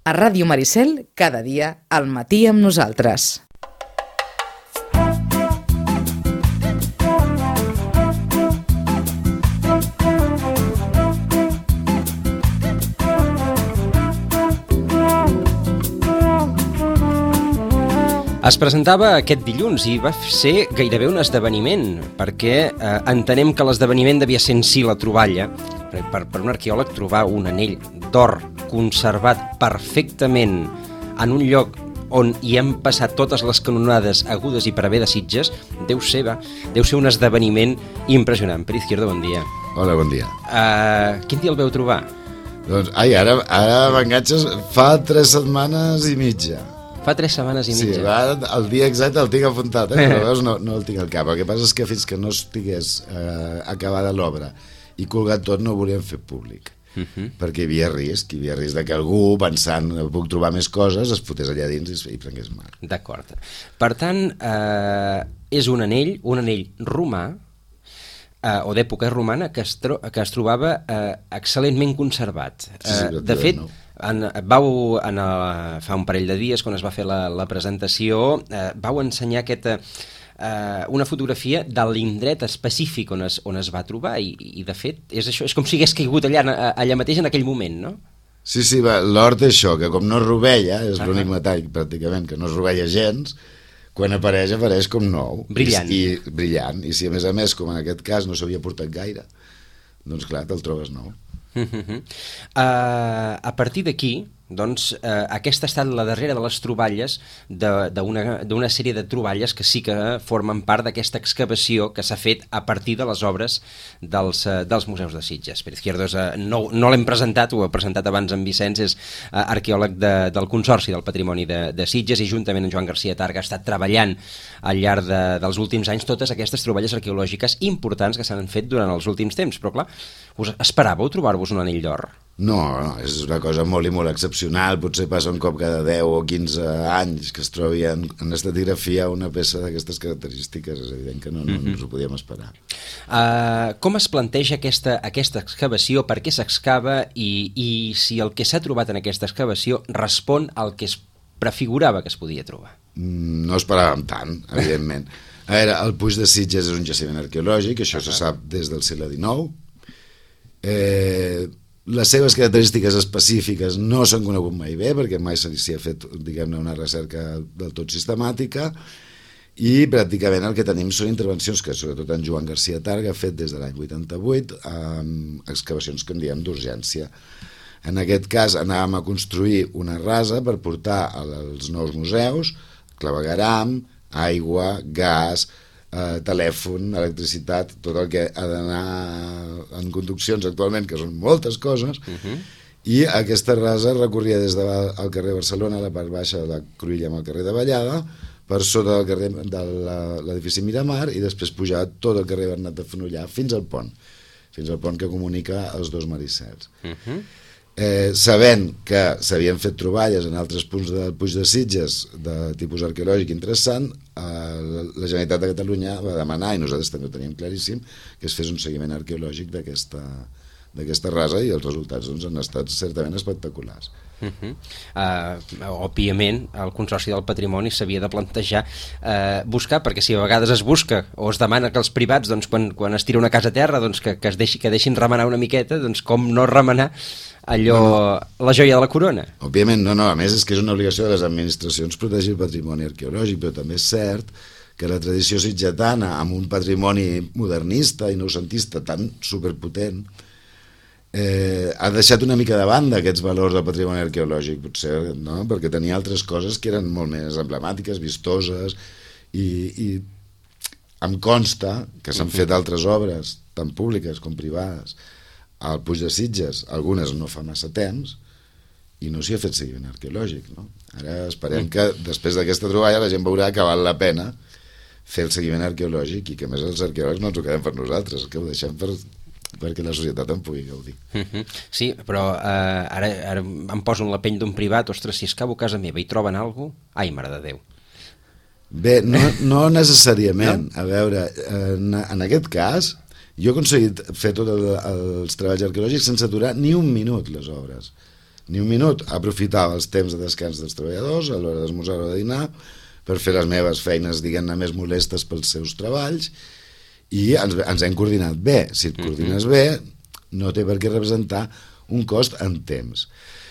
A Ràdio Maricel, cada dia, al matí amb nosaltres. Es presentava aquest dilluns i va ser gairebé un esdeveniment, perquè entenem que l'esdeveniment devia ser en si la troballa. Per un arqueòleg trobar un anell d'or conservat perfectament en un lloc on hi han passat totes les canonades agudes i per haver de Sitges, deu ser un esdeveniment impressionant. Pere Izquierdo, bon dia. Hola, bon dia. Quin dia el veu trobar? Doncs, ara m'enganxes, fa 3 setmanes i mitja. Fa 3 setmanes i mitja. Sí, el dia exacte el tinc apuntat, però veus, no el tinc al cap. El que passa és que fins que no estigués acabada l'obra i colgat tot no ho volíem fer públic. Perquè hi havia risc de que algú, pensant puc trobar més coses, es fotés allà dins i prengués mal. D'acord. Per tant, és un anell romà, o d'època romana, que es trobava excel·lentment conservat. De fet, fa un parell de dies, quan es va fer la presentació, vau ensenyar una fotografia de l'indret específic on es va trobar i de fet és això, és com si hagués caigut allà mateix en aquell moment, no? Sí, l'or té això, que com no es rovella, és l'únic metall pràcticament que no es rovella gens, quan apareix com nou. Brillant. Brillant, i si a més, com en aquest cas no s'havia portat gaire, doncs clar, te'l trobes nou. A partir d'aquí, doncs, aquesta ha estat la darrera de les troballes d'una sèrie de troballes que sí que formen part d'aquesta excavació que s'ha fet a partir de les obres dels museus de Sitges. Pere Izquierdo no l'hem presentat, ho ha presentat abans en Vicenç, és arqueòleg del Consorci del Patrimoni de Sitges i juntament amb Joan Garcia Targa ha estat treballant al llarg dels últims anys totes aquestes troballes arqueològiques importants que s'han fet durant els últims temps, però clar, us esperàveu trobar-vos un anell d'or? No, és una cosa molt i molt excepcional, potser passa un cop cada 10 o 15 anys que es trobi en estratigrafia una peça d'aquestes característiques, és evident que no ens ho podíem esperar. Com es planteja aquesta excavació, per què s'excava i si el que s'ha trobat en aquesta excavació respon al que es prefigurava que es podia trobar? No esperàvem tant, evidentment. A veure, el Puig de Sitges és un jaciment arqueològic, això se sap des del segle XIX. Les seves característiques específiques no s'han conegut mai bé, perquè mai s'hi ha fet, diguem-ne, una recerca del tot sistemàtica, i pràcticament el que tenim són intervencions que sobretot en Joan Garcia Targa ha fet des de l'any 88, amb excavacions que en diem d'urgència. En aquest cas anàvem a construir una rasa per portar als nous museus clavegueram, aigua, gas, telèfon, electricitat, tot el que ha d'anar en conduccions actualment, que són moltes coses, i aquesta rasa recorria des del carrer Barcelona, a la part baixa de la Cruïlla amb el carrer de Vallada, per sota del carrer de l'edifici Miramar, i després pujar tot el carrer Bernat de Fenollar fins al pont que comunica els dos Maricels. Sabent que s'havien fet troballes en altres punts del Puig de Sitges de tipus arqueològic interessant, la Generalitat de Catalunya va demanar, i nosaltres també ho teníem claríssim, que es fes un seguiment arqueològic d'aquesta rasa, i els resultats han estat certament espectaculars. Òbviament el Consorci del Patrimoni s'havia de plantejar buscar, perquè si a vegades es busca o es demana que els privats, doncs, quan es tira una casa a terra, doncs, que deixin remenar una miqueta, doncs com no remenar la joia de la corona? Òbviament no, a més és que és una obligació de les administracions protegir el patrimoni arqueològic, però també és cert que la tradició sitgetana, amb un patrimoni modernista i noucentista tan superpotent, ha deixat una mica de banda aquests valors del patrimoni arqueològic, potser, no? Perquè tenia altres coses que eren molt més emblemàtiques, vistoses, i em consta que s'han fet altres obres, tant públiques com privades, al Puig de Sitges, algunes no fa massa temps, i no s'hi ha fet seguiment arqueològic, no? Ara esperem que després d'aquesta troballa la gent veurà que val la pena fer el seguiment arqueològic, i que a més els arqueòlegs no ens ho quedem per nosaltres, que ho deixem perquè la societat en pugui gaudir. Sí, però ara em poso en la pell d'un privat, ostres, si escavo a casa meva i troben alguna cosa, ai, mare de Déu. Bé, no necessàriament. A veure, en aquest cas, jo he aconseguit fer tots els treballs arqueològics sense aturar ni un minut les obres. ni un minut. Aprofitava els temps de descans dels treballadors, a l'hora d'esmorzar o de dinar, per fer les meves feines, diguem-ne, més molestes pels seus treballs, i ens hem coordinat bé. Si et coordines bé, no té per què representar un cost en temps.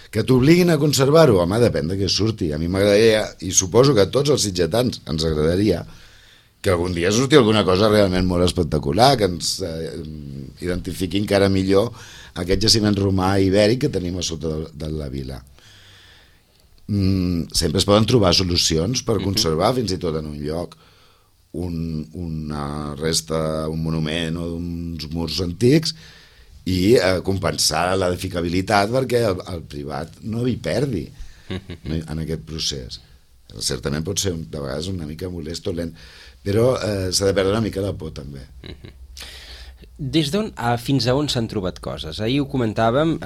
Que t'obliguin a conservar-ho, home, depèn de què surti. A mi m'agradaria, i suposo que a tots els sitgetans ens agradaria, que algun dia surti alguna cosa realment molt espectacular, que ens identifiqui encara millor aquest jaciment romà ibèric que tenim a sota de la vila. Sempre es poden trobar solucions per conservar fins i tot en un lloc una resta, un monument o uns murs antics, i compensar l'edificabilitat perquè el privat no hi perdi en aquest procés. Certament pot ser de vegades una mica molest o lent, però s'ha de perdre una mica la por també. Des d'on fins a on s'han trobat coses? Ahir ho comentàvem,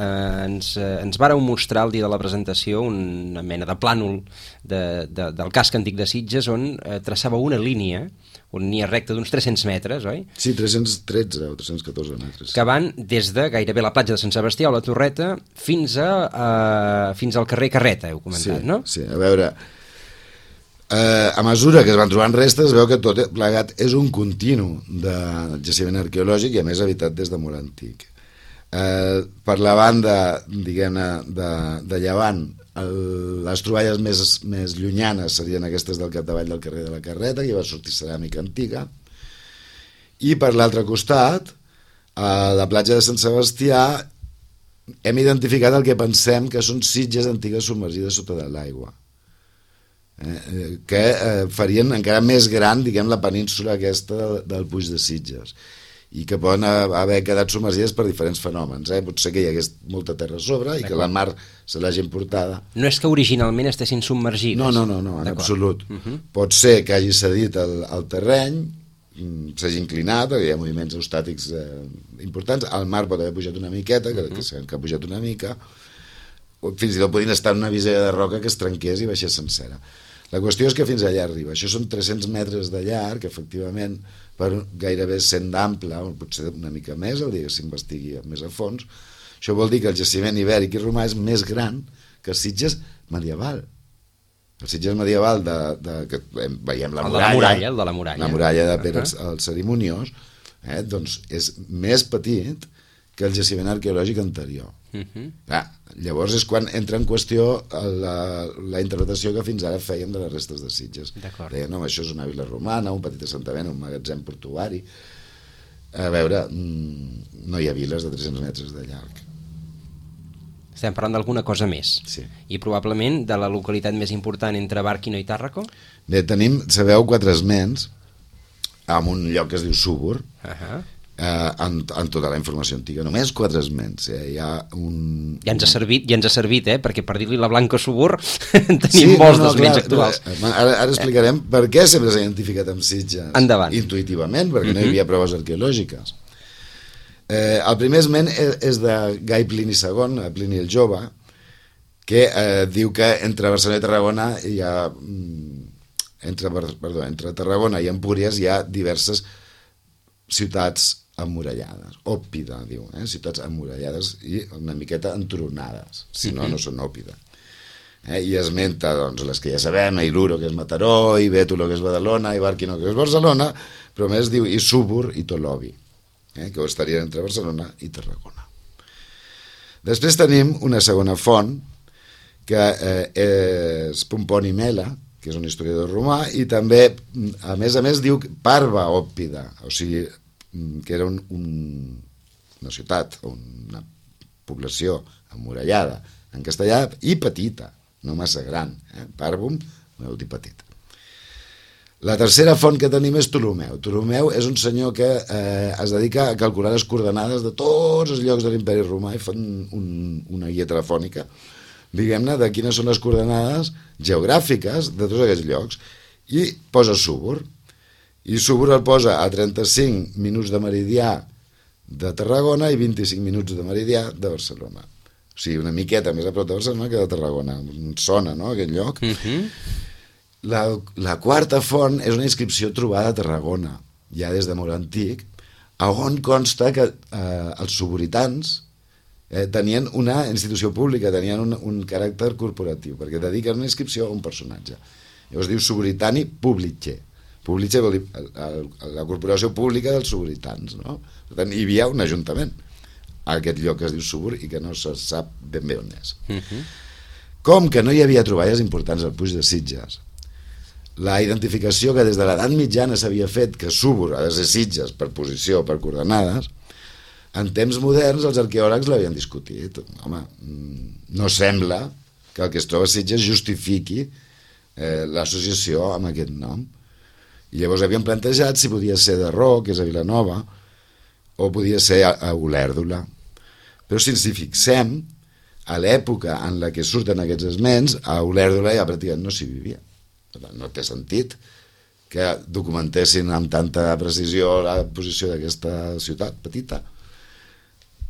ens vàreu mostrar el dia de la presentació una mena de plànol del casc antic de Sitges on traçava una línia, una línia recta d'uns 300 metres, oi? Sí, 313 o 314 metres. Que van des de gairebé la platja de Sant Sebastià o la Torreta fins al carrer Carreta, heu comentat, sí, no? Sí, a veure, a mesura que es van trobant restes es veu que tot plegat és un continu de jaciment arqueològic i a més habitat des de molt antic. Per la banda, diguem-ne, de llevant, les troballes més llunyanes serien aquestes del capdavall del carrer de la Carreta, que hi va sortir ceràmica antiga, i per l'altre costat, a la platja de Sant Sebastià, hem identificat el que pensem que són sitges antigues submergides sota de l'aigua, que farien encara més gran, diguem, la península aquesta del Puig de Sitges, i que poden haver quedat submergides per diferents fenòmens. Pot ser que hi hagués molta terra a sobre i que la mar se l'hagi emportada. No és que originalment estessin submergides? No, en absolut. Pot ser que hagi cedit el terreny, s'hagi inclinat, hi ha moviments eustàtics importants, el mar pot haver pujat una miqueta, que sabem que ha pujat una mica, fins i tot podien estar en una visera de roca que es trenqués i baixés sencera. La qüestió és que fins allà arriba. Això són 300 metres de llarg, efectivament, per gairebé 100 d'ample, o potser una mica més, el dia que s'investigui més a fons. Això vol dir que el jaciment ibèric i romà és més gran que el Sitges medieval. El Sitges medieval que veiem la muralla, la muralla de Pere el Cerimoniós, doncs és més petit que el jaciment arqueològic anterior. Llavors és quan entra en qüestió la interpretació que fins ara fèiem de les restes de Sitges. Deien, no, això és una vila romana, un petit assentament, un magatzem portuari. A veure, no hi ha viles de 300 metres de llarg. Estem parlant d'alguna cosa més. Sí. I probablement de la localitat més important entre Bàrquino i Tàrraco? Bé, tenim, sabeu, 4 esments en un lloc que es diu Súbor, en tota la informació antiga, només 4 esments. Ja ens ha servit, perquè per dir-li la Blanca Subur tenim molts d'esments actuals. Ara explicarem per què sempre s'ha identificat amb Sitges. Endavant. Intuïtivament, perquè no hi havia proves arqueològiques. El primer esment és de Gai Plini II, Plini el Jove, que diu que entre Barcelona i Tarragona hi ha entre Tarragona i Empúries hi ha diverses ciutats emmurallades. Òpida, diu, ciutats emmurallades i una miqueta entronades, si no, no són òpida. I esmenta doncs, les que ja sabem, Iluro, que és Mataró, i Bétulo, que és Badalona, i Bàrquino, que és Barcelona, però més diu i Súbor i Tolovi, que estarien entre Barcelona i Tarragona. Després tenim una segona font, que és Pomponi Mela, que és un historiador romà, i també, a més, diu Parva Òpida, o sigui, que era una ciutat, una població emmurallada en castellà i petita, no massa gran. Parvum, vol dir petit. La tercera font que tenim és Ptolomeu. Ptolomeu és un senyor que es dedica a calcular les coordenades de tots els llocs de l'imperi romà i fan una guia telefònica, diguem-ne, de quines són les coordenades geogràfiques de tots aquests llocs, i posa Súbor. I Súbor el posa a 35 minuts de meridià de Tarragona i 25 minuts de meridià de Barcelona. O sigui, una miqueta més a prop de Barcelona que de Tarragona. Sona, no?, aquest lloc. La quarta font és una inscripció trobada a Tarragona, ja des de molt antic, on consta que els suburitans tenien una institució pública, tenien un caràcter corporatiu, perquè dediquen una inscripció a un personatge. Llavors diu Suburitani Publice. Publice vol dir la corporació pública dels suburitans, no? Per tant, hi havia un ajuntament a aquest lloc que es diu Subur i que no se sap ben bé on és. Com que no hi havia troballes importants al Puig de Sitges, la identificació que des de l'edat mitjana s'havia fet que Subur ha de ser Sitges per posició, per coordenades, en temps moderns els arqueòlegs l'havien discutit. Home, no sembla que el que es troba a Sitges justifiqui l'associació amb aquest nom. I llavors havien plantejat si podia ser de Ro, que és a Vilanova, o podia ser a Olèrdola. Però si ens hi fixem, a l'època en la que surten aquests esments, a Olèrdola ja pràcticament no s'hi vivia. Per tant, no té sentit que documentessin amb tanta precisió la posició d'aquesta ciutat petita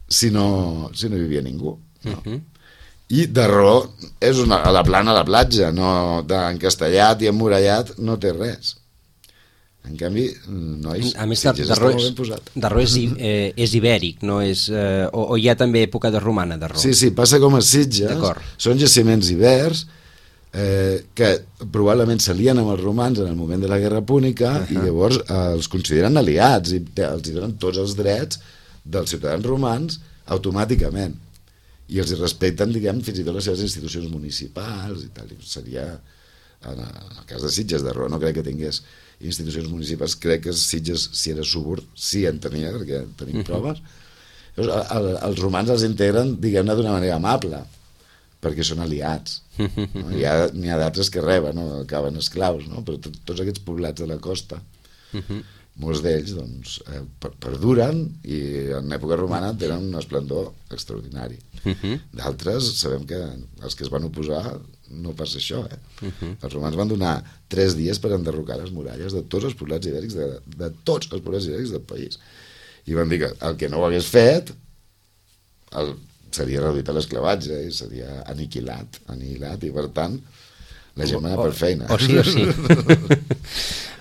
si no hi vivia ningú. No? I Darró és a la plana a la platja, no, encastellat i emmurallat no té res. En canvi, nois, a més, Sitges està molt ben posat. Darró és ibèric, no és, o hi ha també època de romana, Darró? Sí, passa com a Sitges, són jaciments ibers que probablement s'alien amb els romans en el moment de la Guerra Púnica i llavors els consideren aliats i els donen tots els drets dels ciutadans romans automàticament i els respecten, diguem, fins i tot les seves institucions municipals i tal. Seria, en el cas de Sitges, Darró no crec que tingués institucions municipals, crec que Sitges, si era Subur, sí en tenia, perquè tenim proves. Els romans els integren, diguem-ne, d'una manera amable, perquè són aliats. No? N'hi ha d'altres que reben, no? Acaben esclaus, no? Però tots aquests poblats de la costa, molts d'ells doncs, perduren i en època romana tenen un esplendor extraordinari. D'altres sabem que els que es van oposar no passa això. Els romans van donar 3 dies per enderrocar les muralles de tots els poblats ibèrics de tots els poblats ibèrics del país. I van dir que el que no ho hagués fet seria reduït a l'esclavatge i seria aniquilat i per tant la gent va anar per feina. O sí.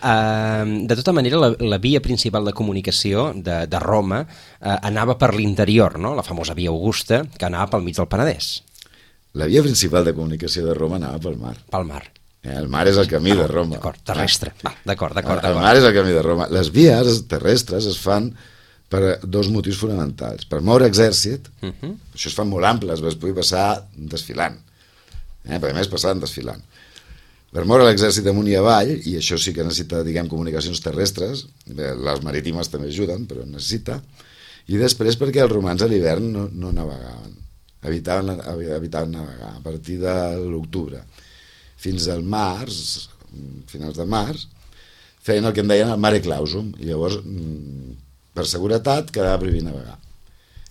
De tota manera, la via principal de comunicació de Roma anava per l'interior, no? La famosa via Augusta, que anava pel mig del Penedès. La via principal de comunicació de Roma anava pel mar. Pel mar. El mar és el camí de Roma. D'acord, terrestre. D'acord. El mar és el camí de Roma. Les vies terrestres es fan per 2 motius fonamentals. Per moure exèrcit, això es fan molt amples, es pugui passar desfilant. Per a més, passaven desfilant. Per moure l'exèrcit amunt i avall, i això sí que necessita, diguem, comunicacions terrestres, les marítimes també ajuden, però necessita, i després perquè els romans a l'hivern no navegaven, evitaven navegar a partir de l'octubre. Fins al març, finals de març, feien el que en deien el mare clausum, i llavors, per seguretat, quedava prohibit navegar.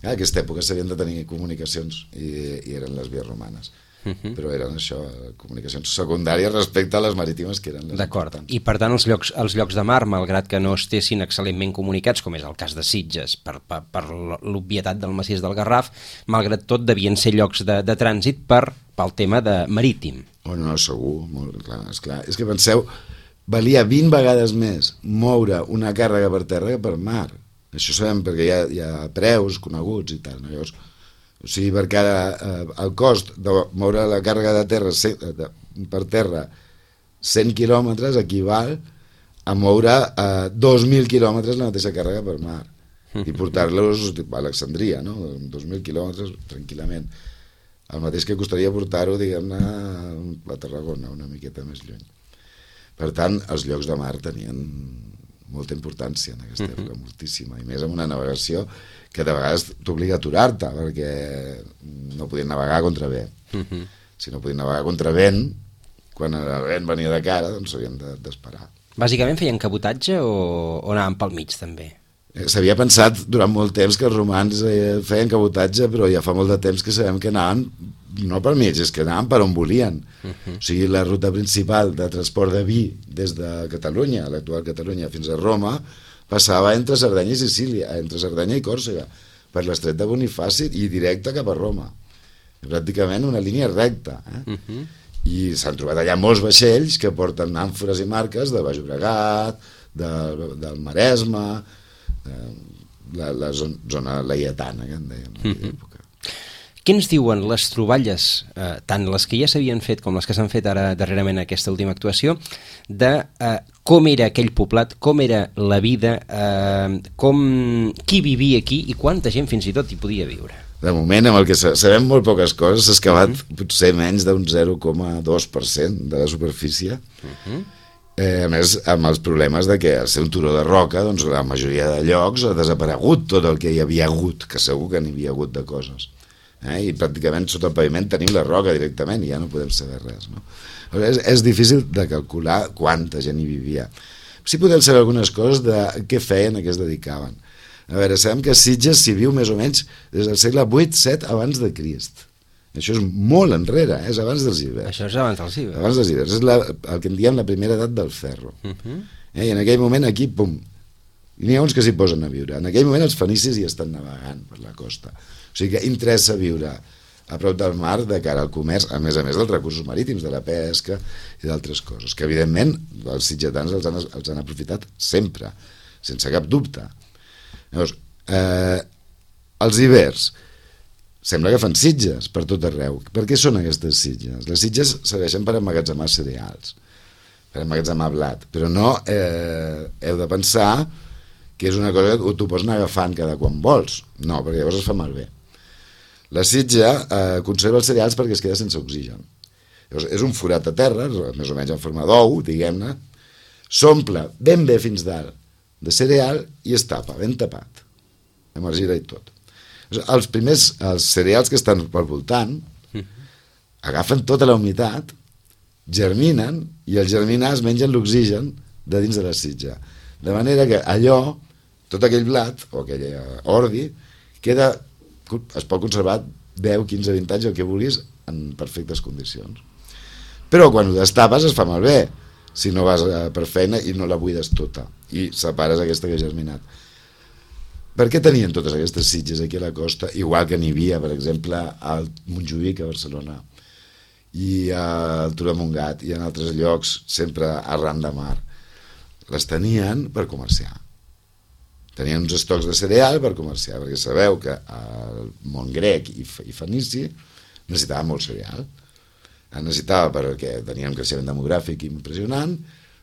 En aquesta època s'havien de tenir comunicacions, i eren les vies romanes. Però eren això, comunicacions secundàries respecte a les marítimes que eren les importants. I per tant els llocs de mar, malgrat que no estessin excel·lentment comunicats, com és el cas de Sitges, per l'obvietat del massís del Garraf, malgrat tot devien ser llocs de trànsit pel tema de marítim. No, segur, molt clar, esclar. És que penseu, valia 20 vegades més moure una càrrega per terra que per mar. Això sabem perquè hi ha preus coneguts i tal, no? Llavors, o sigui, perquè el cost de moure la càrrega de terra per terra 100 quilòmetres equival a moure 2.000 quilòmetres la mateixa càrrega per mar i portar-los a Alexandria, no? 2.000 quilòmetres tranquil·lament. El mateix que costaria portar-ho, diguem-ne, a Tarragona, una miqueta més lluny. Per tant, els llocs de mar tenien molta importància en aquesta època, moltíssima, i més amb una navegació que de vegades t'obliga a aturar-te perquè no podien navegar contra vent. Si no podien navegar contra vent, quan el vent venia de cara, doncs s'havien d'esperar. Bàsicament feien cabotatge o anaven pel mig també? S'havia pensat durant molt temps que els romans feien cabotatge, però ja fa molt de temps que sabem que anaven no pel mig, és que anaven per on volien. O sigui, la ruta principal de transport de vi des de Catalunya, l'actual Catalunya, fins a Roma, passava entre Sardenya i Sicília, entre Sardenya i Còrsega, per l'estret de Bonifaci i directe cap a Roma. Pràcticament una línia recta. I s'han trobat allà molts vaixells que porten àmfores i marques de Baix Llobregat, del Maresme, la zona laietana, que en dèiem en aquella època. què ens diuen les troballes, tant les que ja s'havien fet com les que s'han fet ara darrerament en aquesta última actuació, de com era aquell poblat, com era la vida, qui vivia aquí i quanta gent fins i tot hi podia viure? De moment, amb el que sabem molt poques coses, s'ha excavat potser menys d'un 0,2% de la superfície. A més, amb els problemes de que al ser un turó de roca, doncs la majoria de llocs ha desaparegut tot el que hi havia hagut, que segur que n'hi havia hagut de coses. I pràcticament sota el paviment tenim la roca directament i ja no podem saber res, no? És difícil de calcular quanta gent hi vivia. Sí podem saber algunes coses de què feien, a què es dedicaven. A veure, sabem que a Sitges s'hi viu més o menys des del segle 8-7 abans de Crist. Això és molt enrere, és abans dels ibers. Això és abans dels ibers. Abans dels ibers, és el que en diem la primera edat del ferro. I en aquell moment aquí, pum, n'hi ha uns que s'hi posen a viure. En aquell moment els fenicis hi estan navegant per la costa. O sigui que interessa viure a prop del mar de cara al comerç, a més dels recursos marítims, de la pesca i d'altres coses, que evidentment els sitgetans els han aprofitat sempre, sense cap dubte. Llavors, els ibers sembla que fan sitges per tot arreu. Per què són aquestes sitges? Les sitges serveixen per emmagatzemar cereals, per emmagatzemar blat, però no heu de pensar que és una cosa que t'ho pots anar agafant cada quan vols. No, perquè llavors es fa malbé. La sitja conserva els cereals perquè es queda sense oxigen. Llavors, és un forat a terra, més o menys en forma d'ou, diguem-ne, s'omple ben bé fins dalt de cereal i es tapa, ben tapat, amb argila i tot. Els cereals que estan pel voltant agafen tota la humitat, germinen i al germinar es mengen l'oxigen de dins de la sitja. De manera que allò, tot aquell blat o aquell ordi, es pot conservar 10, 15, 20 anys, el que vulguis, en perfectes condicions. Però quan ho destapes es fa malbé, si no vas per feina i no la buides tota i separes aquesta que ha germinat. Per què tenien totes aquestes sitges aquí a la costa, igual que n'hi havia, per exemple, al Montjuïc, a Barcelona, i al Turó de Montgat, i en altres llocs, sempre arran de mar? Les tenien per comerciar. Tenien uns estocs de cereal per comerciar, perquè sabeu que el món grec i fenici necessitava molt cereal. Necessitava perquè tenien un creixement demogràfic impressionant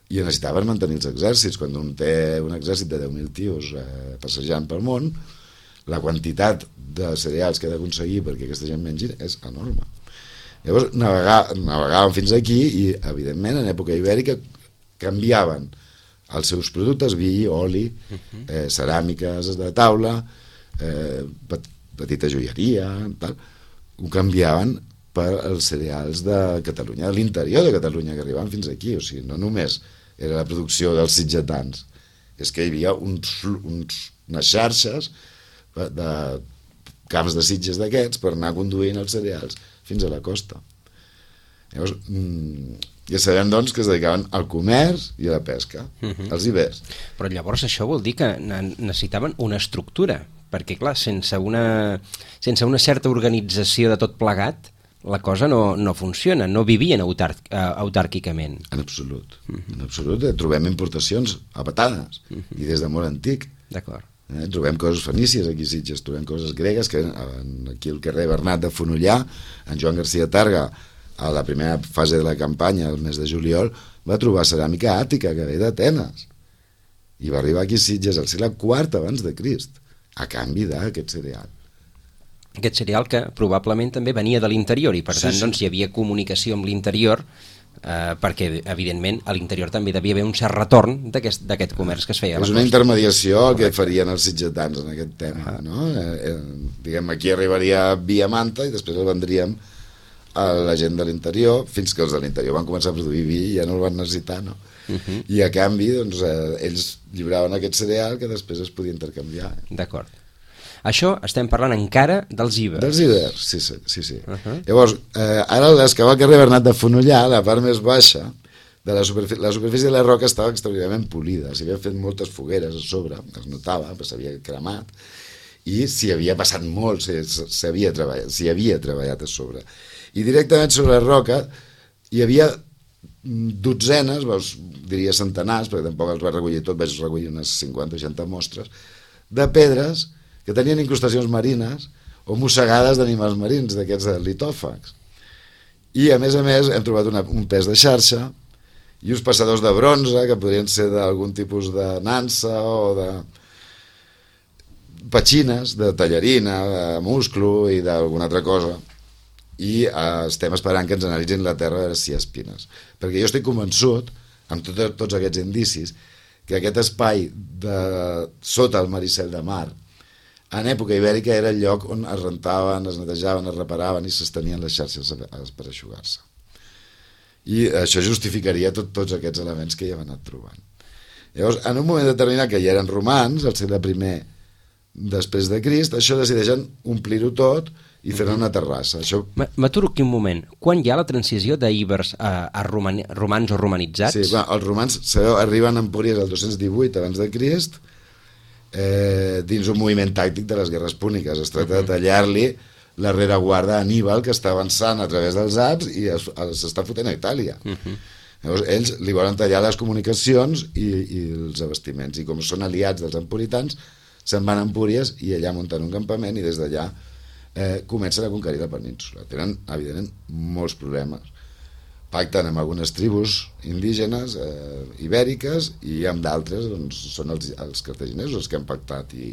i necessitava per mantenir els exèrcits. Quan un té un exèrcit de 10.000 tios passejant pel món, la quantitat de cereals que ha d'aconseguir perquè aquesta gent mengi és enorme. Llavors navegaven fins aquí i, evidentment, en època ibèrica canviaven els seus productes, vi, oli, ceràmiques de taula, petita joieria, tal, ho canviaven per els cereals de Catalunya, de l'interior de Catalunya, que arribaven fins aquí. O sigui, no només era la producció dels sitgetans, és que hi havia unes xarxes de camps de sitges d'aquests per anar conduint els cereals fins a la costa. Llavors, ja sabem, doncs, que es dedicaven al comerç i a la pesca, als ibers. Però llavors això vol dir que necessitaven una estructura, perquè, clar, sense una certa organització de tot plegat, la cosa no funciona, no vivien autàrquicament. En absolut. En absolut. Trobem importacions a patades, i des de molt antic. D'acord. Trobem coses fenícies aquí a Sitges, trobem coses gregues, que aquí al carrer Bernat de Fonollà, en Joan García Targa, a la primera fase de la campanya, el mes de juliol, va trobar ceràmica àtica que ve d'Atenes. I va arribar aquí a Sitges al segle IV abans de Crist, a canvi d'aquest cereal. Aquest cereal que probablement també venia de l'interior i per tant doncs, hi havia comunicació amb l'interior perquè evidentment a l'interior també devia haver un cert retorn d'aquest comerç que es feia a la costa. És una intermediació el que farien els sitgetans en aquest tema, no? Diguem, aquí arribaria via Manta i després el vendríem a la gent de l'interior, fins que els de l'interior van començar a produir vi i ja no el van necessitar, no? I a canvi doncs, ells lliuraven aquest cereal que després es podia intercanviar. D'acord. Això estem parlant encara dels ibers. Dels ibers, sí. Llavors, ara l'excavar al carrer Bernat de Fonollà, la part més baixa, la superfície de la roca estava extraordinàriament polida, s'hi havia fet moltes fogueres a sobre, es notava, s'havia cremat, i s'hi havia passat molt, s'hi havia treballat a sobre. I directament sobre la roca hi havia dotzenes, diria centenars, perquè tampoc els va recollir tot, vaig recollir unes 50 o 60 mostres, de pedres que tenien incrustacions marines o mossegades d'animals marins, d'aquests litòfags. I a més hem trobat un pes de xarxa i uns passadors de bronze que podrien ser d'algun tipus de nansa o de petxines, de tallarina, de musclo i d'alguna altra cosa, i estem esperant que ens analitzin la terra a veure si hi ha espines, perquè jo estic convençut, amb tots aquests indicis, que aquest espai sota el Maricel de Mar en època ibèrica era el lloc on es rentaven, es netejaven, es reparaven i s'estenien les xarxes per eixugar-se. I això justificaria tots aquests elements que hi hem anat trobant. Llavors, en un moment determinat, que ja eren romans, al segle I després de Crist, això decideixen omplir-ho tot i fer una terrassa. M'aturo aquí un moment. Quan hi ha la transició d'íbers a romans o romanitzats? Sí, els romans, sabeu, arriben a Empúries el 218 abans de Crist, dins un moviment tàctic de les guerres púniques. Es tracta de tallar-li la rereguarda a Aníbal, que està avançant a través dels Alps i s'està fotent a Itàlia. Llavors ells li volen tallar les comunicacions i els abastiments, i com són aliats dels empuritans se'n van a Empúries i allà munten un campament i des d'allà comencen a conquerir la península. Tenen, evidentment, molts problemes. Pacten amb algunes tribus indígenes ibèriques i amb d'altres doncs, són els cartaginesos els que han pactat i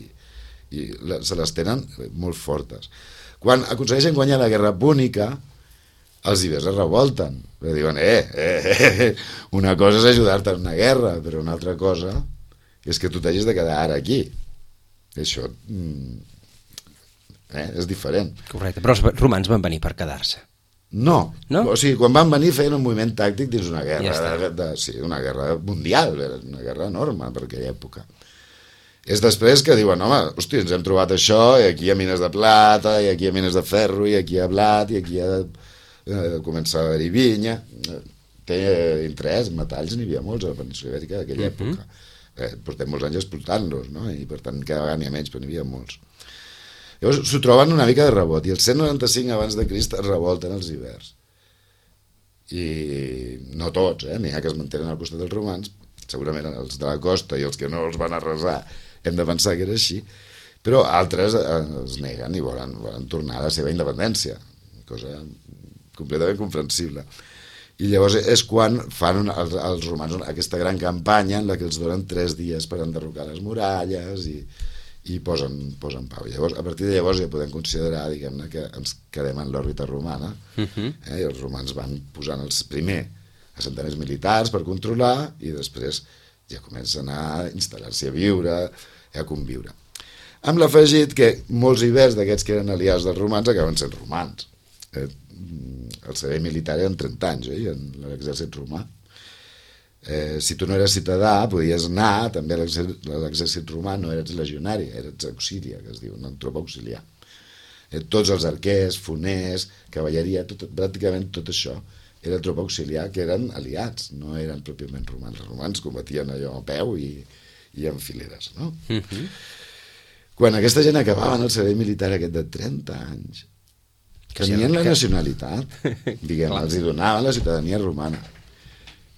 se les tenen molt fortes. Quan aconsegueixen guanyar la guerra púnica, els ibers es revolten. Diuen, una cosa és ajudar-te en una guerra, però una altra cosa és que tu t'hagis de quedar ara aquí. Això és diferent. Correcte, però els romans van venir per quedar-se. No. O sigui, quan van venir feien un moviment tàctic dins una guerra, una guerra mundial, una guerra enorme per aquella època. És després que diuen, home, hosti, ens hem trobat això, i aquí hi ha mines de plata, i aquí hi ha mines de ferro, i aquí hi ha blat, i aquí hi ha començar a haver-hi vinya. Té interès, metalls n'hi havia molts a la península ibèrica d'aquella època. Portem molts anys explotant-los, no? I per tant cada vegada n'hi ha menys, però n'hi havia molts. Llavors s'ho troben una mica de rebot, i el 195 abans de Crist es revolten els ibers. I no tots, n'hi ha que es mantenen al costat dels romans, segurament els de la costa i els que no els van arrasar hem de pensar que era així, però altres es neguen i volen tornar a la seva independència, cosa completament comprensible. I llavors és quan fan els romans aquesta gran campanya en la que els donen 3 dies per enderrocar les muralles i posen pau. Llavors, a partir de llavors ja podem considerar, diguem-ne, que ens quedem en l'òrbita romana, i els romans van posant els primer assentaments militars per controlar i després ja comencen a instal·lar-s'hi a viure, a conviure. Amb l'afegit que molts ibers d'aquests que eren aliats dels romans acaben sent romans. El servei militar eren 30 anys, en l'exèrcit romà. Si tu no eres ciutadà, podies anar també a l'exèrcit romà, no eres legionari, eres auxilia, que es diu, una tropa auxiliar. Tots els arquers, foners, cavalleria, pràcticament tot això era tropa auxiliar, que eren aliats, no eren pròpiament romans. Els romans combatien allò a peu i en fileres, no? Quan aquesta gent acabaven el servei militar aquest de 30 anys, tenien la nacionalitat, diguem, els hi donaven la ciutadania romana.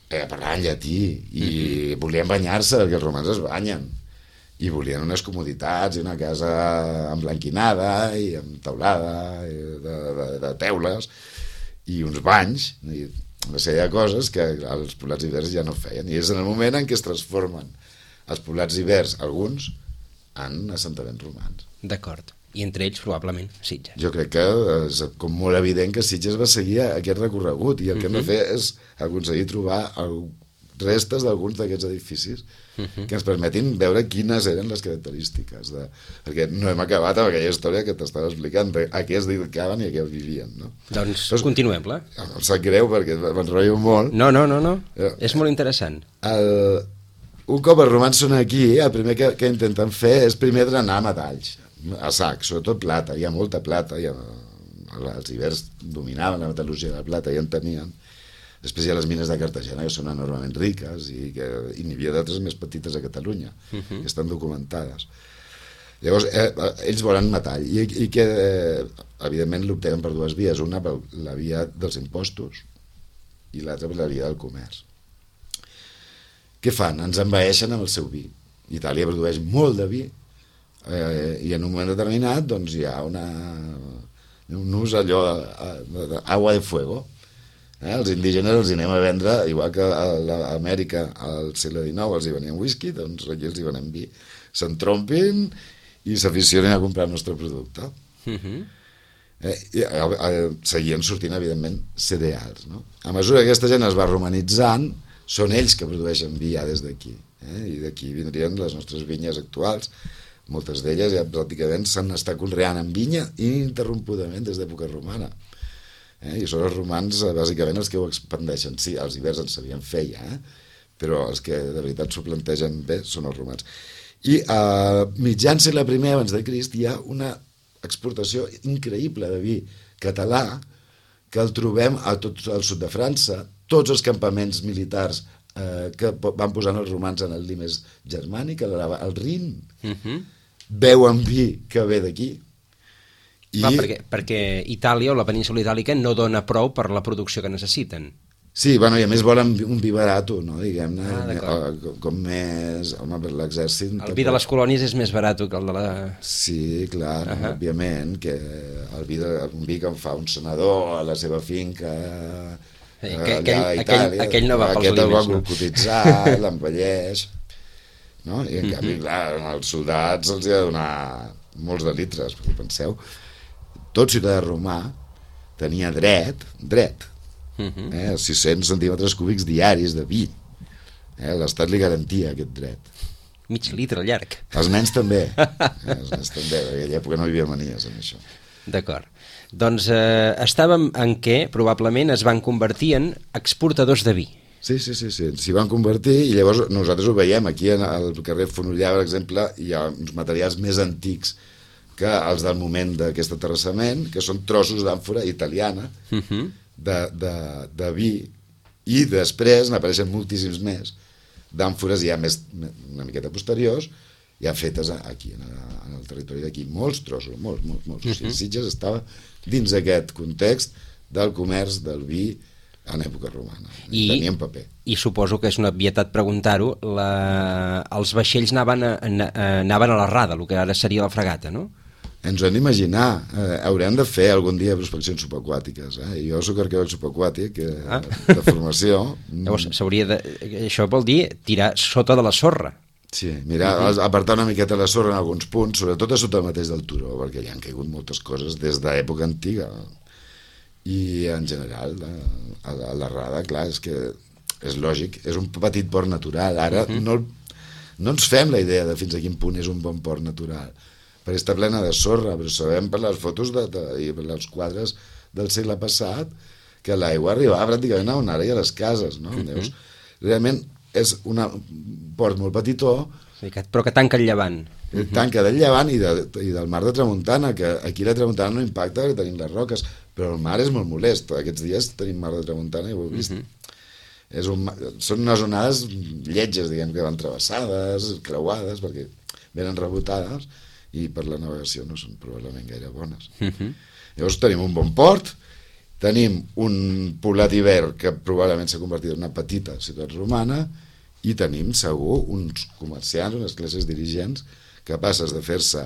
Parlaven llatí i volien banyar-se, perquè els romans es banyen, i volien unes comoditats i una casa emblanquinada i amb teulada de teules i uns banys i una sèrie de coses que els poblats ibers ja no feien, i és en el moment en què es transformen els poblats ibers, alguns, en assentaments romans. D'acord. I entre ells, probablement, Sitges. Jo crec que és com molt evident que Sitges va seguir aquest recorregut, i el que hem de fer és aconseguir trobar restes d'alguns d'aquests edificis que ens permetin veure quines eren les característiques. Perquè no hem acabat amb aquella història que t'estava explicant, a què es dedicaven i a què vivien. No? Doncs continuem-la. Em sap greu perquè m'enrotllo molt. No. És molt interessant. Un cop els romans són aquí, el primer que intenten fer és primer drenar metalls, a sac, sobretot plata. Hi ha molta plata, els ibers dominaven la metal·lurgia de la plata i en tenien. Després hi ha les mines de Cartagena, que són enormement riques, i n'hi havia d'altres més petites a Catalunya, que estan documentades. Llavors, ells volen metall, i que, evidentment, l'obtenen per 2 vies, una per la via dels impostos i l'altra per la via del comerç. Què fan? Ens envaeixen amb el seu vi. Itàlia produeix molt de vi, I en un moment determinat doncs, hi ha un ús allò d'agua de fuego. Els indígenes els hi anem a vendre, igual que a Amèrica al segle XIX els hi venien whisky, doncs aquí els hi venem vi. S'entrompin i s'aficionen a comprar el nostre producte. Seguien sortint, evidentment, cereals. No? A mesura que aquesta gent es va romanitzant, són ells que produeixen vi ja des d'aquí. I d'aquí vindrien les nostres vinyes actuals. Moltes d'elles ja pràcticament s'han estat conreant en vinya ininterrompudament des d'època romana. I són els romans bàsicament els que ho expandeixen. Sí, els hiverns en sabien fer ja, però els que de veritat s'ho plantegen bé són els romans. I a mitjan segle I abans de Crist hi ha una exportació increïble de vi català que el trobem a tot el sud de França. Tots els campaments militars que van posant els romans en el Limes germànic, al Rin, beuen vi que ve d'aquí. Perquè Itàlia o la península itàlica no dona prou per la producció que necessiten. Sí, bueno, i a més volen un vi barat, no, diguem-ne, com més... Home, per l'exèrcit... El vi de les colònies és més barat que el de la... Sí, clar, òbviament, que un vi que en fa un senador a la seva finca... Aquell no va pels Limes, no? Aquest el va cotitzar, l'envelleix... No? I en canvi, clar, als soldats els hi ha de donar molts de litres, perquè penseu, tot ciutadà romà tenia dret, 600 centímetres cúbics diaris de vi. L'Estat li garantia aquest dret. Mig litre llarg. Els nens també. Els nens també, en aquella època no hi havia manies en això. D'acord. Doncs estàvem en què probablement es van convertir en exportadors de vi. Sí, s'hi van convertir i llavors nosaltres ho veiem aquí al carrer Fonollar, per exemple, hi ha uns materials més antics que els del moment d'aquest aterrassament, que són trossos d'àmfora italiana de vi, i després n'apareixen moltíssims més d'àmfores ja més una miqueta posteriors, ja fetes aquí en el territori d'aquí, molts trossos, molts. O sigui, Sitges estava dins aquest context del comerç del vi en època romana, tenien paper. I suposo que és una obvietat preguntar-ho, els vaixells anaven a la rada, el que ara seria la fregata, no? Ens ho hem d'imaginar, haurem de fer algun dia prospeccions subaquàtiques. Jo soc arqueòleg subaquàtic de formació. Llavors, això vol dir tirar sota de la sorra. Sí, mira, apartar una miqueta la sorra en alguns punts, sobretot a sota mateix del turó, perquè hi han caigut moltes coses des d'època antiga. I en general a la rada, clar, és que és lògic, és un petit port natural. Ara no ens fem la idea de fins a quin punt és un bon port natural, perquè està plena de sorra, però sabem per les fotos i per els quadres del segle passat que l'aigua arribava pràcticament a on ara hi ha les cases, no? Llavors, realment és un port molt petitó, però que tanca el llevant. Tanca del llevant i del mar de tramuntana, que aquí la tramuntana no impacta perquè tenim les roques, però el mar és molt molest. Aquests dies tenim mar de tramuntana i ho heu vist. Són unes onades lletges, diguem, que van travessades, creuades, perquè venen rebotades i per la navegació no són probablement gaire bones. Llavors tenim un bon port, tenim un poblat ibèr que probablement s'ha convertit en una petita ciutat romana i tenim segur uns comerciants, unes classes dirigents capaces de fer-se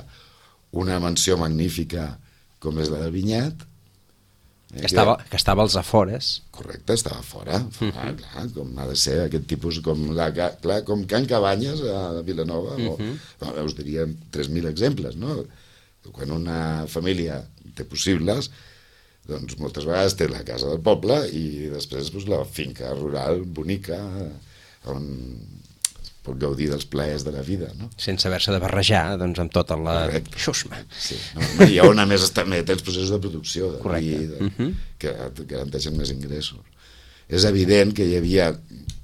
una mansió magnífica com és la del Vinyet, que estava als afores. Correcte, estava fora, clar, com ha de ser aquest tipus, com Can Cabanyes a Vilanova, us diria 3.000 exemples, no? Quan una família té possibles, doncs moltes vegades té la casa del poble i després la finca rural bonica on pot gaudir dels plaers de la vida, no? Sense haver-se de barrejar, doncs, amb tota la xusma. Sí, i on a més tens processos de producció de vi, que garanteixen més ingressos. És evident que hi havia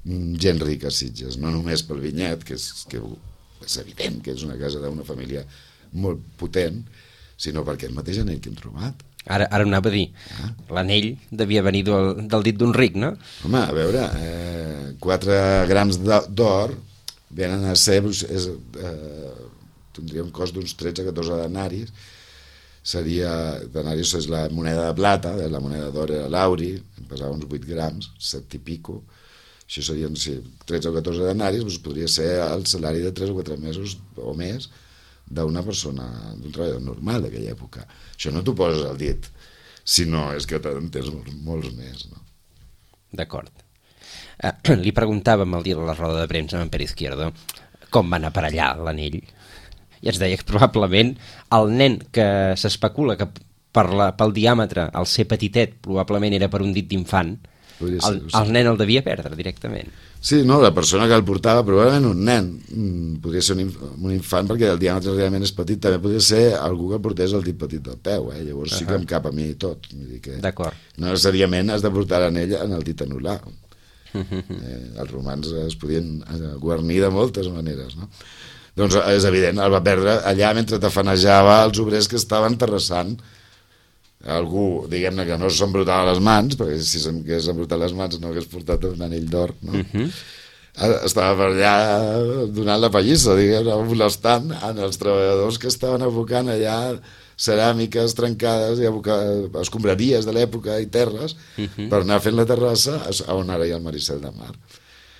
gent rica a Sitges, no només pel Vinyet, que és evident que és una casa d'una família molt potent, sinó per aquest mateix anell que hem trobat. Ara anava a dir, l'anell devia venir del dit d'un ric, no? Home, a veure, 4 grams d'or venen a ser, tindria un cost d'uns 13-14 denaris, denaris és la moneda de plata, la moneda d'or era l'auri, pesava uns 8 grams, 7 i pico, això serien 13 o 14 denaris, doncs podria ser el salari de 3 o 4 mesos o més d'una persona, d'un treballador normal d'aquella època. Això no t'ho poses al dit, sinó és que en tens molts més, no? D'acord. Li preguntàvem el dia de la roda de premsa amb en Pere Izquierdo com va anar per allà l'anell, i ens deia que probablement el nen que s'especula que pel diàmetre, al ser petitet, probablement era per un dit d'infant, el nen el devia perdre directament. Sí, no, la persona que el portava, probablement un nen, podria ser un infant perquè el diàmetre realment és petit, també podria ser algú que el portés el dit petit del peu, llavors sí que em cap a mi tot. D'acord. No necessàriament has de portar l'anell en el dit anular. Els romans es podien guarnir de moltes maneres, no? Doncs és evident, el va perdre allà mentre tafanejava els obrers que estaven terrassant. Algú, diguem-ne, que no s'embrutava les mans, perquè si s'hagués embrutat les mans no hagués portat un anell d'or, no? Estava per allà donant la pallissa, diguem-ne, molestant els treballadors que estaven abocant allà ceràmiques trencades i escombraries de l'època i terres per anar fent la terrassa on ara hi ha el Maricel de Mar.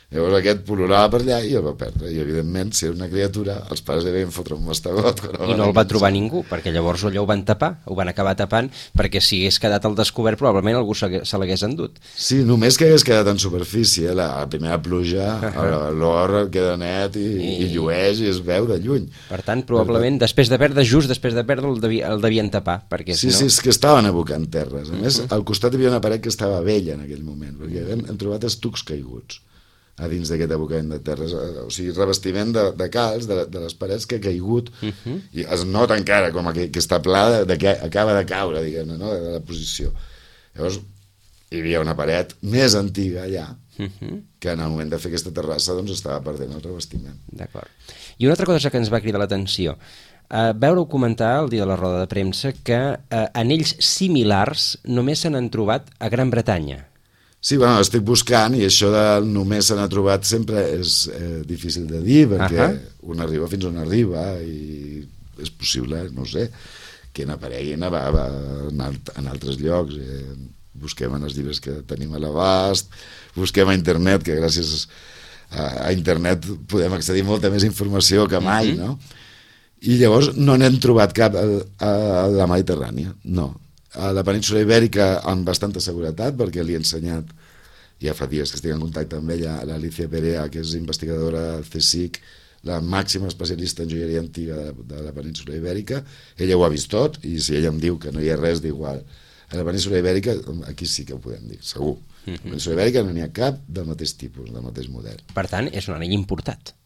Llavors aquest pol·lulava per allà i el va perdre, i evidentment si era una criatura els pares devien fotre un mastegot i no el va trobar ningú, perquè llavors allò ho van tapar, ho van acabar tapant, perquè si hagués quedat al descobert probablement algú se l'hagués endut. Sí, només que hagués quedat en superfície, la primera pluja l'or queda net i llueix i es veu de lluny. Per tant, probablement després de perdre el devien tapar, perquè sí, és que estaven abocant terres. A més, al costat hi havia una paret que estava vella en aquell moment, perquè hem trobat estucs caiguts a dins d'aquest abocament de terres, o sigui, revestiment de calç, de les parets que ha caigut, i es nota encara com que està pla que acaba de caure, diguem-ne, no? De la posició. Llavors, hi havia una paret més antiga allà, que en el moment de fer aquesta terrassa doncs estava perdent el revestiment. D'acord. I una altra cosa que ens va cridar l'atenció, veure-ho comentar el dia de la roda de premsa que anells similars només se n'han trobat a Gran Bretanya. Sí, bueno, estic buscant i això de només se n'ha trobat sempre és difícil de dir perquè un arriba fins on arriba i és possible, no ho sé, que n'apareguin en altres llocs. Busquem en els llibres que tenim a l'abast, busquem a internet, que gràcies a internet podem accedir a molta més informació que mai, no? I llavors no n'hem trobat cap a la Mediterrània, no. A la península Ibèrica amb bastanta seguretat, perquè li he ensenyat, ja fa dies que estic en contacte amb ella, l'Alicia Perea, que és investigadora del CSIC, la màxima especialista en joieria antiga de la península Ibèrica. Ella ho ha vist tot, i si ella em diu que no hi ha res d'igual a la península Ibèrica, aquí sí que ho podem dir, segur. A la península Ibèrica no n'hi ha cap del mateix tipus, del mateix model. Per tant, és un anell importat.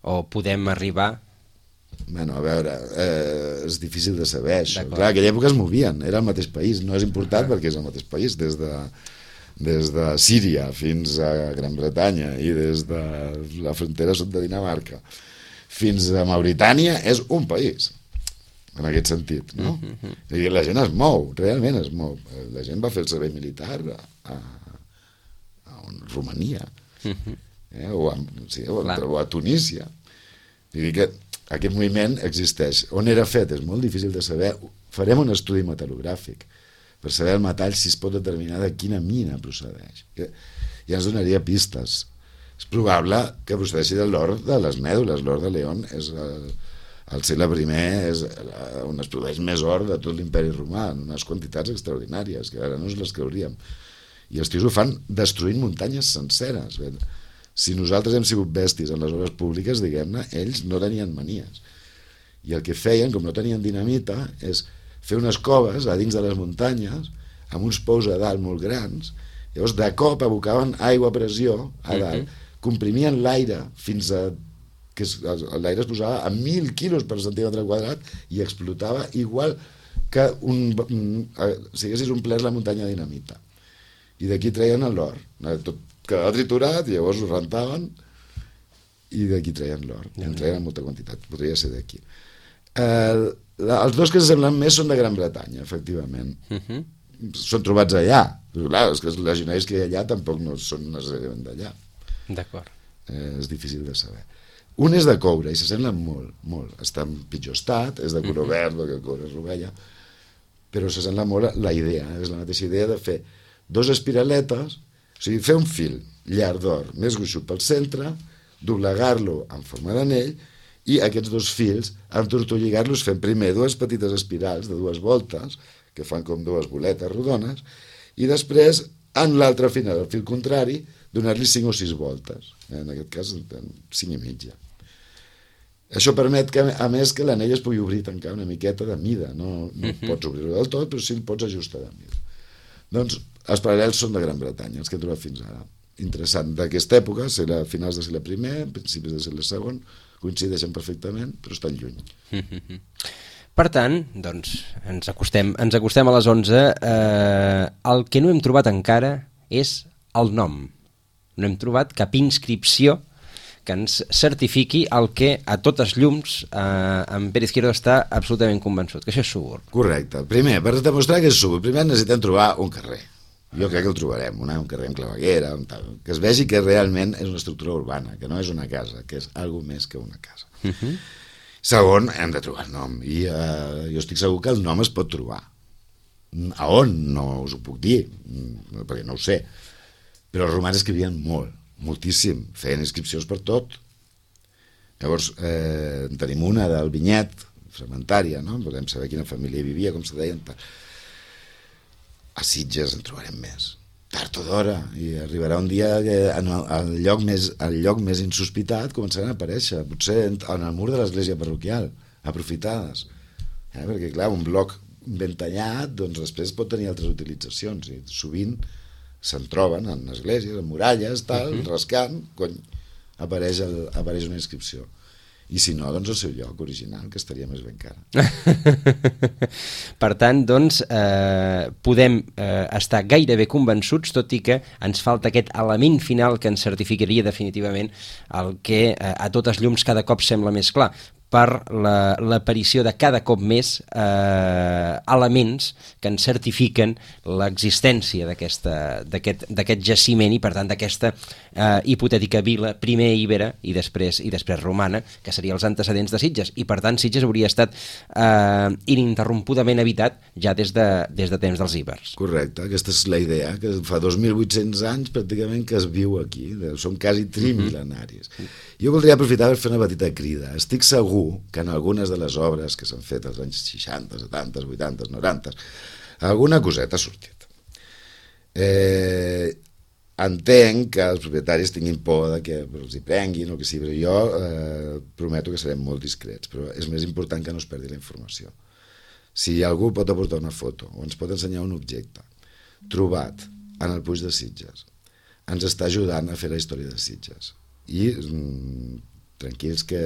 O podem arribar... Bueno, a veure, és difícil de saber això. Clar, aquella època es movien, era el mateix país, no és important perquè és el mateix país, des de Síria fins a Gran Bretanya i des de la frontera sud de Dinamarca fins a Mauritània és un país, en aquest sentit, no? I la gent es mou, realment es mou. La gent va fer el servei militar a Romania o a Tunísia. I dic que aquest moviment existeix. On era fet? És molt difícil de saber. Farem un estudi metal·logràfic per saber el metall si es pot determinar de quina mina procedeix. Ja ens donaria pistes. És probable que procedeixi de l'or de les mèdules. L'or de León és al segle I és on es produeix més or de tot l'imperi romà, en unes quantitats extraordinàries que ara no ens les creuríem. I els tios ho fan destruint muntanyes senceres. Si nosaltres hem sigut bèsties en les obres públiques, diguem-ne, ells no tenien manies. I el que feien, com no tenien dinamita, és fer unes coves a dins de les muntanyes, amb uns pous a dalt molt grans, llavors de cop abocaven aigua a pressió a dalt, comprimien l'aire fins a... que l'aire es posava a 1.000 quilos per centímetre quadrat i explotava igual que si haguessis omplert la muntanya de dinamita. I d'aquí treien l'or. Tot quedava triturat, llavors ho rentaven i d'aquí treien l'or. En treien molta quantitat, podria ser d'aquí. Els dos que s'assemblen més són de Gran Bretanya, efectivament. Són trobats allà. Però, clar, és que els legionaris que hi ha allà tampoc no són necessàriament d'allà. D'acord. És difícil de saber. Un és de coure i s'assemblen molt, molt. Està en pitjor estat, és de color verd, perquè el coure és rovella, però s'assembla molt la idea. És la mateixa idea de fer dos espiraletes, o sigui, fer un fil llarg d'or més gruixut pel centre, doblegar-lo en forma d'anell i aquests dos fils entortolligar-los fent primer dues petites espirals de 2 voltes, que fan com 2 boletes rodones, i després, en l'altre final, al fil contrari, donar-li 5 o 6 voltes. En aquest cas, 5 i mitja. Això permet, que, a més, que l'anell es pugui obrir i tancar una miqueta de mida. No pots obrir-ho del tot, però sí el pots ajustar de mida. Doncs els paral·lels són de Gran Bretanya, els que he trobat fins ara. Interessant. D'aquesta època, finals del segle I, principis del segle II, coincideixen perfectament, però estan lluny. Per tant, doncs, ens acostem a les 11. El que no hem trobat encara és el nom. No hem trobat cap inscripció que ens certifiqui el que a totes llums en Pere Izquierdo està absolutament convençut, que això és Súburg. Correcte. Primer, per demostrar que és Súburg, primer necessitem trobar un carrer. Jo crec que el trobarem, un carrer amb claveguera, que es vegi que realment és una estructura urbana, que no és una casa, que és alguna més que una casa. Segon, hem de trobar el nom, i jo estic segur que el nom es pot trobar. A on? No us ho puc dir, perquè no ho sé. Però els romans escrivien molt, moltíssim, feien inscripcions per tot. Llavors, tenim una del Vinyet, fragmentària, no? Podem saber quina família hi vivia, com se deien. A Sitges en trobarem més. Tard o d'hora, i arribarà un dia que al lloc més insospitat començaran a aparèixer, potser en el mur de l'església parroquial, aprofitades. Perquè, clar, un bloc ben tallat, doncs després pot tenir altres utilitzacions, i sovint se'n troben en esglésies, en muralles, tal, rascant, apareix una inscripció. I si no, doncs el seu lloc original, que estaria més ben cara. Per tant, doncs, podem estar gairebé convençuts, tot i que ens falta aquest element final que ens certificaria definitivament el que a totes llums cada cop sembla més clar, per l'aparició de cada cop més elements que ens certifiquen l'existència d'aquest jaciment i, per tant, d'aquesta hipotètica vila, primer ibera i després romana, que seria els antecedents de Sitges. I, per tant, Sitges hauria estat ininterrompudament habitat ja des de temps dels ibers. Correcte, aquesta és la idea, que fa 2.800 anys pràcticament que es viu aquí, som quasi trimil·lenaris. Jo voldria aprofitar per fer una petita crida. Estic segur que en algunes de les obres que s'han fet als anys 60, 70, 80, 90, alguna coseta ha sortit. Entenc que els propietaris tinguin por de que els hi prenguin o que sí, però jo prometo que serem molt discrets, però és més important que no es perdi la informació. Si algú pot aportar una foto o ens pot ensenyar un objecte trobat en el Puig de Sitges, ens està ajudant a fer la història de Sitges. I tranquils que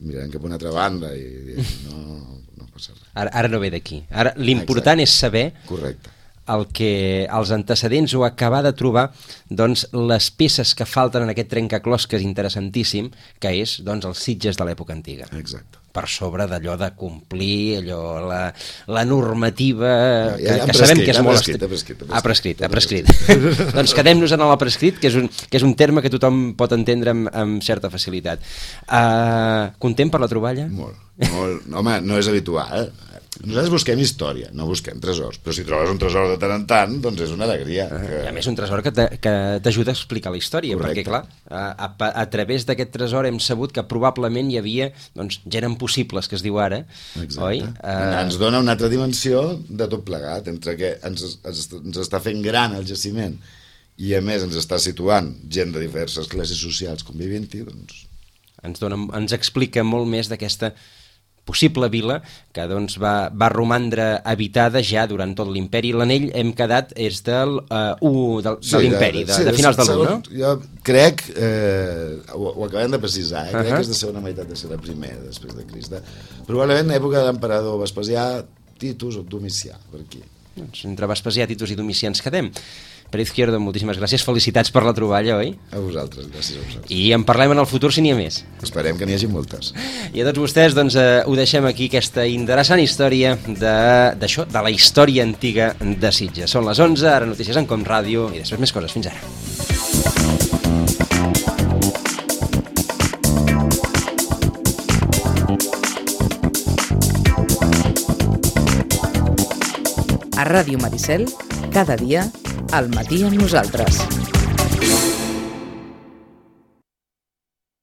mirarem cap a una altra banda i no passa res. Ara no ve d'aquí. Ara l'important és saber el que els antecedents o acabar de trobar, doncs, les peces que falten en aquest trencaclosques interessantíssim, que és, doncs, els Sitges de l'època antiga. Exacte. Per sobre d'allò de complir la normativa que sabem que és molt ha prescrit. Doncs quedem-nos en el prescrit, que és un terme que tothom pot entendre amb certa facilitat. Content per la troballa? Molt. Home, no és habitual. Nosaltres busquem història, no busquem tresors, però si trobes un tresor de tant en tant, doncs és una alegria. A més, un tresor que t'ajuda a explicar la història. Correcte. Perquè, clar, a través d'aquest tresor hem sabut que probablement hi havia gent impossibles, que es diu ara. Exacte. Oi? Ens dona una altra dimensió de tot plegat, entre que ens està fent gran el jaciment i a més ens està situant gent de diverses classes socials convivint-hi, doncs... Ens explica molt més d'aquesta possible vila que doncs, va romandre habitada ja durant tot l'imperi. L'anell hem quedat és de l'imperi, de finals de l'1, no? Jo crec, ho acabem de precisar, crec que és de segona meitat de segle I després de Crist. Probablement època de l'emperador Vespasià, Titus o Domicià, per aquí. Doncs entre Vespasià, Titus i Domicià ens quedem. Pere Izquierdo, moltíssimes gràcies, felicitats per la troballa, oi? A vosaltres, gràcies a vosaltres. I en parlem en el futur si n'hi ha més. Esperem que n'hi hagi moltes. I a tots vostès, doncs, ho deixem aquí, aquesta interessant història d'això, de la història antiga de Sitges. Són les 11, ara notícies en Com Ràdio i després més coses. Fins ara. A Ràdio Maricel, cada dia, al matí amb nosaltres.